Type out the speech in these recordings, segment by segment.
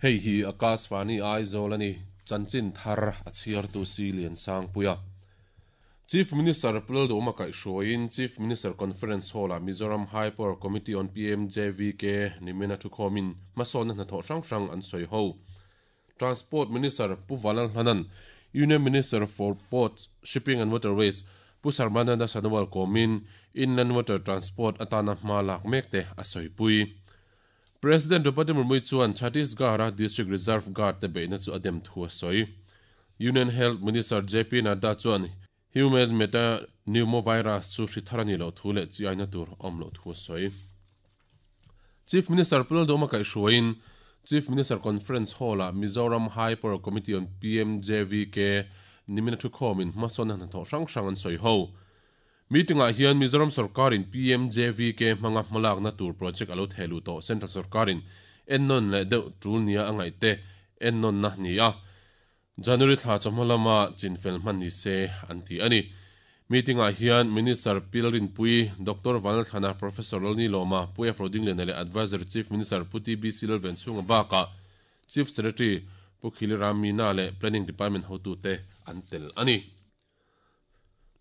Hei hi Akashvani Aizawl a ni, chanchin thar a chhiartu si Liansangpuia. Chief Minister Pu Lalduhawma kaihhruaiin Chief Minister Conference Hall-ah Mizoram High Power Committee on PMJVK nimina thukhawmin hmasawnna hnathawh hrang hrang an sawi ho. Transport Minister Pu Vanlalhlana'n Union Minister for Ports, Shipping and Waterways Pu Sarbananda Sonowal kawmin Inland Water Transport atana hma lak mek te a sawipui. President Draupadi Murmu chuan Chhattisgarh-a District Reserve Guard te beihna chu a dem thu a sawi. Union Health Minister JP Nadda chuan Human Metapneumovirus chu hri thar a nih loh thu leh chi aina tur a awm loh thu a sawi. Chief Minister Pu Lalduhawma kaihhruaiin Chief Minister Conference Hall-ah Mizoram High Power Committee on PMJVK nimina thukhawmin hmasawnna hnathawh hrang hrang an sawi ho. Meeting-ah hian Mizoram sawrkarin PMJVK hmanga hmalakna tur project a lo theh luh tawh Central sawrkarin ennawn leh deuh tul nia a ngaihte ennawnna ni a, January thla chawhma lama chinfel hman ni se an ti a ni. Meeting-ah hian Minister Pi Lalrinpuii, Doctor Vanlalthlana, Professor Lalni Lawma, Pu F. Rodingliana leh Advisory Chief Minister Pu TBC Lalvenchhunga bakah Chief Secretary Pu Khili Ram Meena leh Planning Department hotute an tel a ni.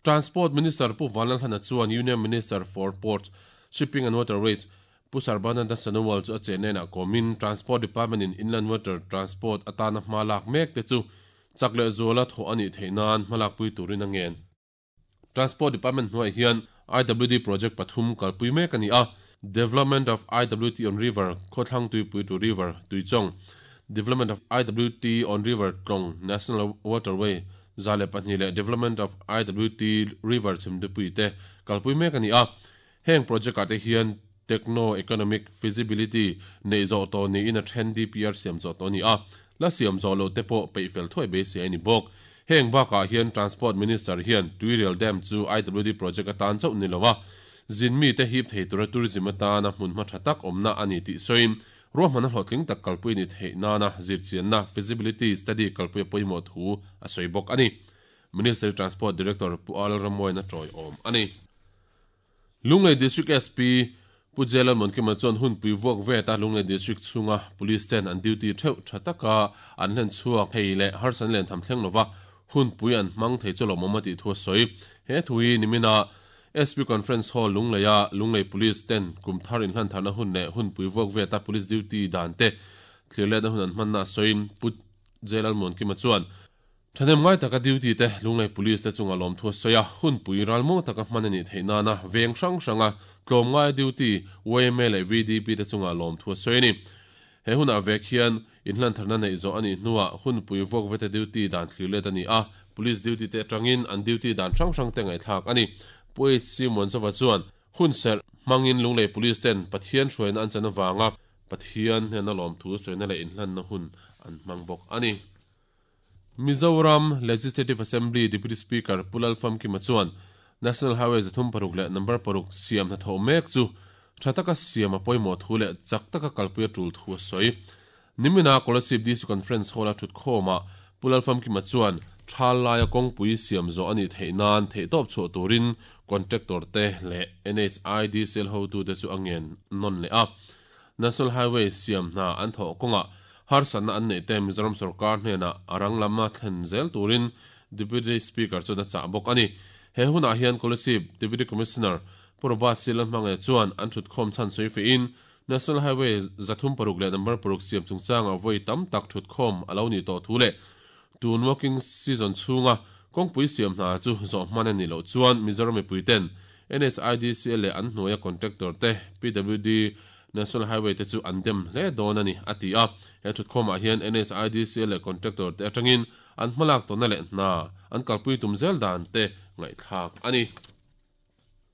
Transport Minister Pu Vanlalhlana chuan Union Minister for Ports, Shipping and Waterways Pu Sarbananda Sonowal chu a chenenah kawmin Transport Department in Inland Water Transport atana hma lak mek te chu chak leh zuala thawh a nih theih nan hmalakpui turin a ngen. Transport Department hnuaiah hian IWD project pathum kalpui mek a ni a, Development of IWT on River, Khawthlang Tuipui to River, Tuichawng, Development of IWT on River Tlawng, National Waterway, 102 leh Development of IWT River chhimdupui te kalpui mek a ni a. Heng project ah te hian Techno Economic Feasibility neih zawh tawh niin a then DPR siam zawh tawh a ni a, la siam zawh loh te pawh peih fel thuai beisei a ni bawk. Heng bakah hian Transport Minister hian Tuirial Dam chu IWD project atan chauh ni lo a, zin mite hip thei tura tourism atana hmunhma tha tak awmna a ni tih sawiin Ruahmanna hlawhtling tak kalpui ni theih nana zirchianna, feasibility study, kalpui a pawimawh thu a sawi bawk a ni. Ministry Transport Director Pu Al Ramwain a tawiawm a ni. Lunglei District SP Pu J Lalmuankima chuan hunpui vuak vet a Lunglei District chhunga Police ten an duty theuh tha taka an hlen chhuak thei leh harsan len tham thleng lova hunpui an hmang thei chu lawmawm a tih thu a sawi. He thu hi nimina SP Conference Hall Lungleia Lunglei Police ten kum thar inhlantharna hun leh hunpui vuak veta Police duty dan te thlir letna hun an hmanna a sawiin Pu J Lalmuankima chuan thahnem ngai taka duty te Lunglei Police te chunga lawmthu a sawi a, hunpui ralmuang taka hman a nih theih nana veng hrang hranga tlawmngaia duty yma leh VDP te chunga lawmthu a sawi a ni. He hunah vek hian inhlantharna neih zawh a nih hnuah hunpui vuak vete duty dan thlir let a ni a, police duty te atangin an duty dan hrang hrang te ngaihthlak a ni. Pu HC Muanzova chuan hun serh hmangin Lunglei Police ten Pathian hruaina an chan avanga Pathian hnena lawmthu sawina leh inhlanna hun an hmang bawk a ni. Mizoram Legislative Assembly Deputy Speaker Pu Lalfamkima chuan National Highway 36 leh number paruk siam hnathawh mek chu tha taka siam a pawimawh thu leh chak taka kalpui a tul thu a sawi. Nimina Kolasib DC Conference Hall-a thutkhawmah Pu Lalfamkima chuan thal laia kawngpui siam zawh a nih theih nan theihtawp chhuah turin contractor te leh NHIDCL hotute chu a ngen nawn leh a. National Highway siam hna an thawh kawngah harsatna an neih te Mizoram sorkar hnenah a rang lama thlen zel turin Deputy Speaker chuan a chah bawk a ni. He hunah hian Kolasib Deputy Commissioner Pu Robert C. Lalhmangaih chuan an thutkhawm chhan sawi fehin National Highway 36 leh number paruk siam chungchangah vawi tam tak thutkhawm a lo nih tawh thu leh tun working season chhunga kawngpui siam hna chu zawh hman a nih loh chuan Mizoram mipuiten NHIDCL leh an hnuaia contractor te PWD National Highway te chu an dem hle dawn a ni, a ti a. He thutkhawmah hian NHIDCL leh contractor te atangin an hmalak tawhna leh hna an kalpui tum zel dan te ngaihthlak a ni.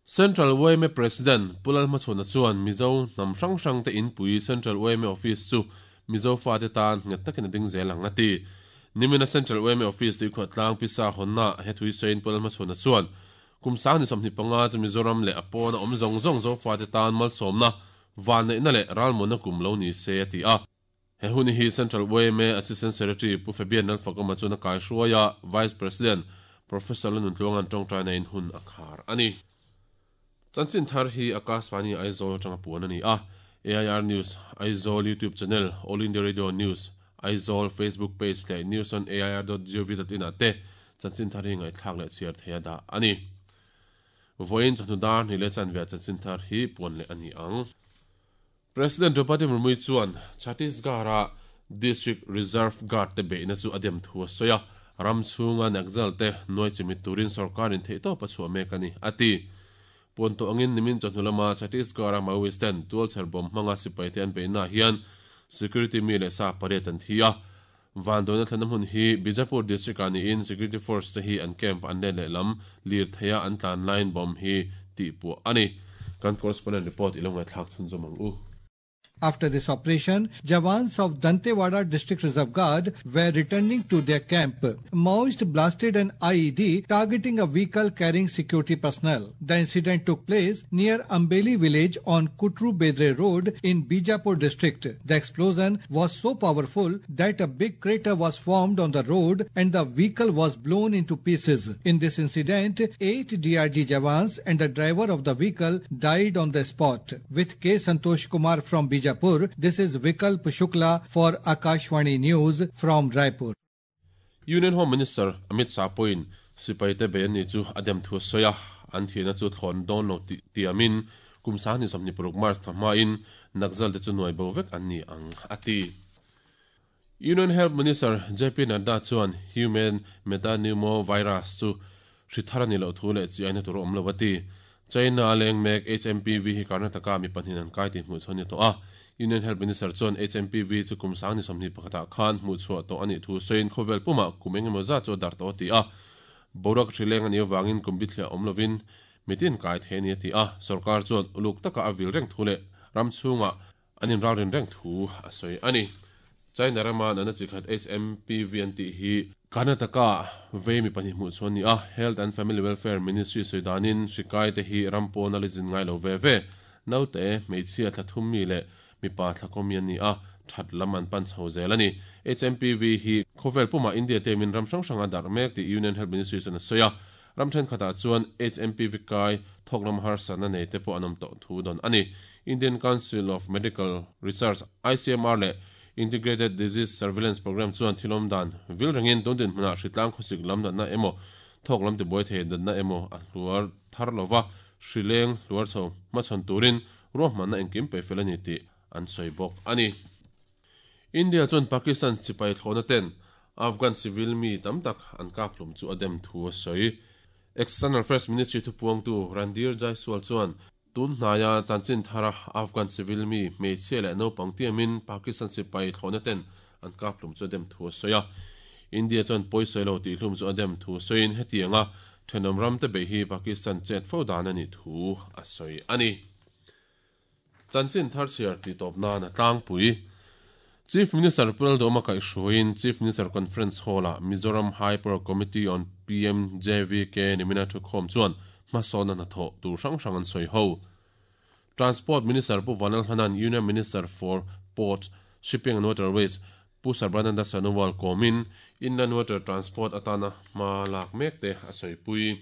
Central yma President Pu Lalhmachhawna chuan Mizo hnam hrang hrang te inpui Central yma Office chu Mizo fate tan nghet takin a ding zel ang a ti. Nimina Central yma Office tuikhuahtlang pisa hawnna he thui sawiin Pu Lalhmachhawna chuan Kum 25 chu Mizoram leh a pawna awm zawng zawng Zofate tan malsawmna, vanneihna leh ralmuanna kum lo ni se a ti a. He hun hi Central yma Assistant Secretary Pu Fabian Lalfakawma chuan a kaihruai a, Vice President Professor Lalnuntluanga'n tawngtaina in hun a khar a ni. Chanchin thar hi Akashvani Aizawl atanga puan a ni a, AIR News Aizawl YouTube Channel, All India Radio News. Aizawl Facebook page leh newsonair.gov.in ah te chanchin thar hi ngaihthlak leh chhiar theih a dah a ni. Vawiin chawhnu dar hnih leh chanve ah chanchin thar hi puan leh a ni ang. President Draupadi Murmu chuan Chhattisgarh-a District Reserve Guard te beihna chu a dem thu a sawi a, ram chhunga Naxal te nuai chimit turin sorkarin theihtawp a chhuah mek a ni, a ti. Puan tawh angin nimin chawhnu lama Chhattisgarh-a Maoist ten tualchher bomb hmanga sipaite an beihnaah hian security mi leh sa pariat an thi a. Vanduaina thlenna hmun hi Bijapur district-ah niin security force te hi an camp an let lehlam lirtheia an tlan laiin bomb hi tihpuah a ni. Kan correspondent report i lo ngaihthlak chhunzawm ang u. After this operation, Jawans of Dantewada District Reserve Guard were returning to their camp. Maoist blasted an IED targeting a vehicle carrying security personnel. The incident took place near Ambeli village on Kutru Bedre Road in Bijapur district. The explosion was so powerful that a big crater was formed on the road and the vehicle was blown into pieces. In this incident, 8 DRG Jawans and the driver of the vehicle died on the spot. With K. Santosh Kumar from Bijapur, this is Vikalp Shukla for Akashvani News from Raipur. Union Home Minister Amit Shah pawhin sipaite bei an nih chu a dem thu a sawi a, an thihna chu thlawn dawn lo tih tiamin kum 2026 March thla hmain Naxal te chu nuai bo vek an ni ang a ti. Union Health Minister JP Nadda chuan Human Metapneumovirus chu hri thar a nih loh thu leh chi aina tur a awm lo a ti. China a leng mek HMPV hi Karnataka mi pahnihin an kai tih hmuhchhuah a ni tawh a. Union Health Minister chuan HMPV chu kum 2021 ah khan hmuhchhuah tawh a nih thu sawiin khawvel pumah kum engemaw zat chu a darh tawh a ti a. Boruak hri leng a nih avangin kum bithliah awm lovin mitin kai thei a ni a ti a. Sorkar chuan uluk taka a vil reng thu leh ram chhungah An inralrin reng thu a sawi a ni. China rama natna chi khat HMPV an tih hi Karnataka vei mi pahnih hmuh chhuah a ni a, Health and Family Welfare Ministry sawi danin hri kai te hi ram pawn a la zin ngai lo ve ve. Naute, hmeichhia thla thum mi leh mipa thla kaw mi an ni a, that lam an pan chho zel a ni. HMPV hi khawvel pumah India te min ram hrang hrang a darh mek tih Union Health Ministry chuan a sawi a. Ram thenkhatah chuan HMPV kai thawk lam harsatna nei te pawh an awm tawh thu dawn a ni. Indian Council of Medical Research, ICMR, leh Integrated Disease Surveillance Programme chuan thil awm dan vil rengin tun dinhmunah hritlang khawsik lam natna emaw, thawk lam tibuai thei natna emaw a hluar thar lova hri leng hluar chho hmachhawn turin ruahmanna engkim peihfel a ni tih an sawi bawk a ni. India chuan Pakistan sipai thlawhna ten Afghan civil mi tam tak an kap hlum chu a dem thu a sawi. External Affairs Ministry thupuangtu Randhir Jaiswal chuan tun hnaia chanchin thara Afghan civil mi hmeichhia leh naupang tiamin Pakistan sipai thlawhna ten an kap hlum chu a dem thu a sawi a. India chuan pawisawi lo tih hlum chu a dem thu sawiin hetianga thenawm ramte beih hi Pakistan chet fo dan a nih thu a sawi a ni. Chanchin thar chhiar tih tawp nan a tlangpui. Chief Minister Pu Lalduhoma kaihhruaiin Chief Minister Conference Hall-ah Mizoram High Power Committee on PMJVK nimina thukhawm chuan hmasawnna hnathawh tur hrang hrang an sawi ho. Transport Minister Pu Vanlalhmana'n Union Minister for Ports, Shipping and Waterways Pu Sarbananda Sonowal kawmin Inland Water Transport atana hma lak mek te a sawipui.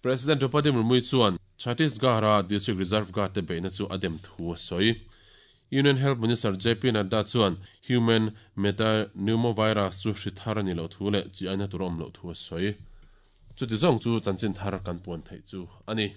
President Draupadi Murmu chuan Chhattisgarh-a District Reserve Guard te beihna chu a dem thu a sawi. Union Health Minister JP Nadda chuan Human Metapneumovirus chu hri thar a nih loh thu leh chi aina tur a awm loh thu a sawi. Chuti zawng chu chanchin thar kan puan theih chu a ni.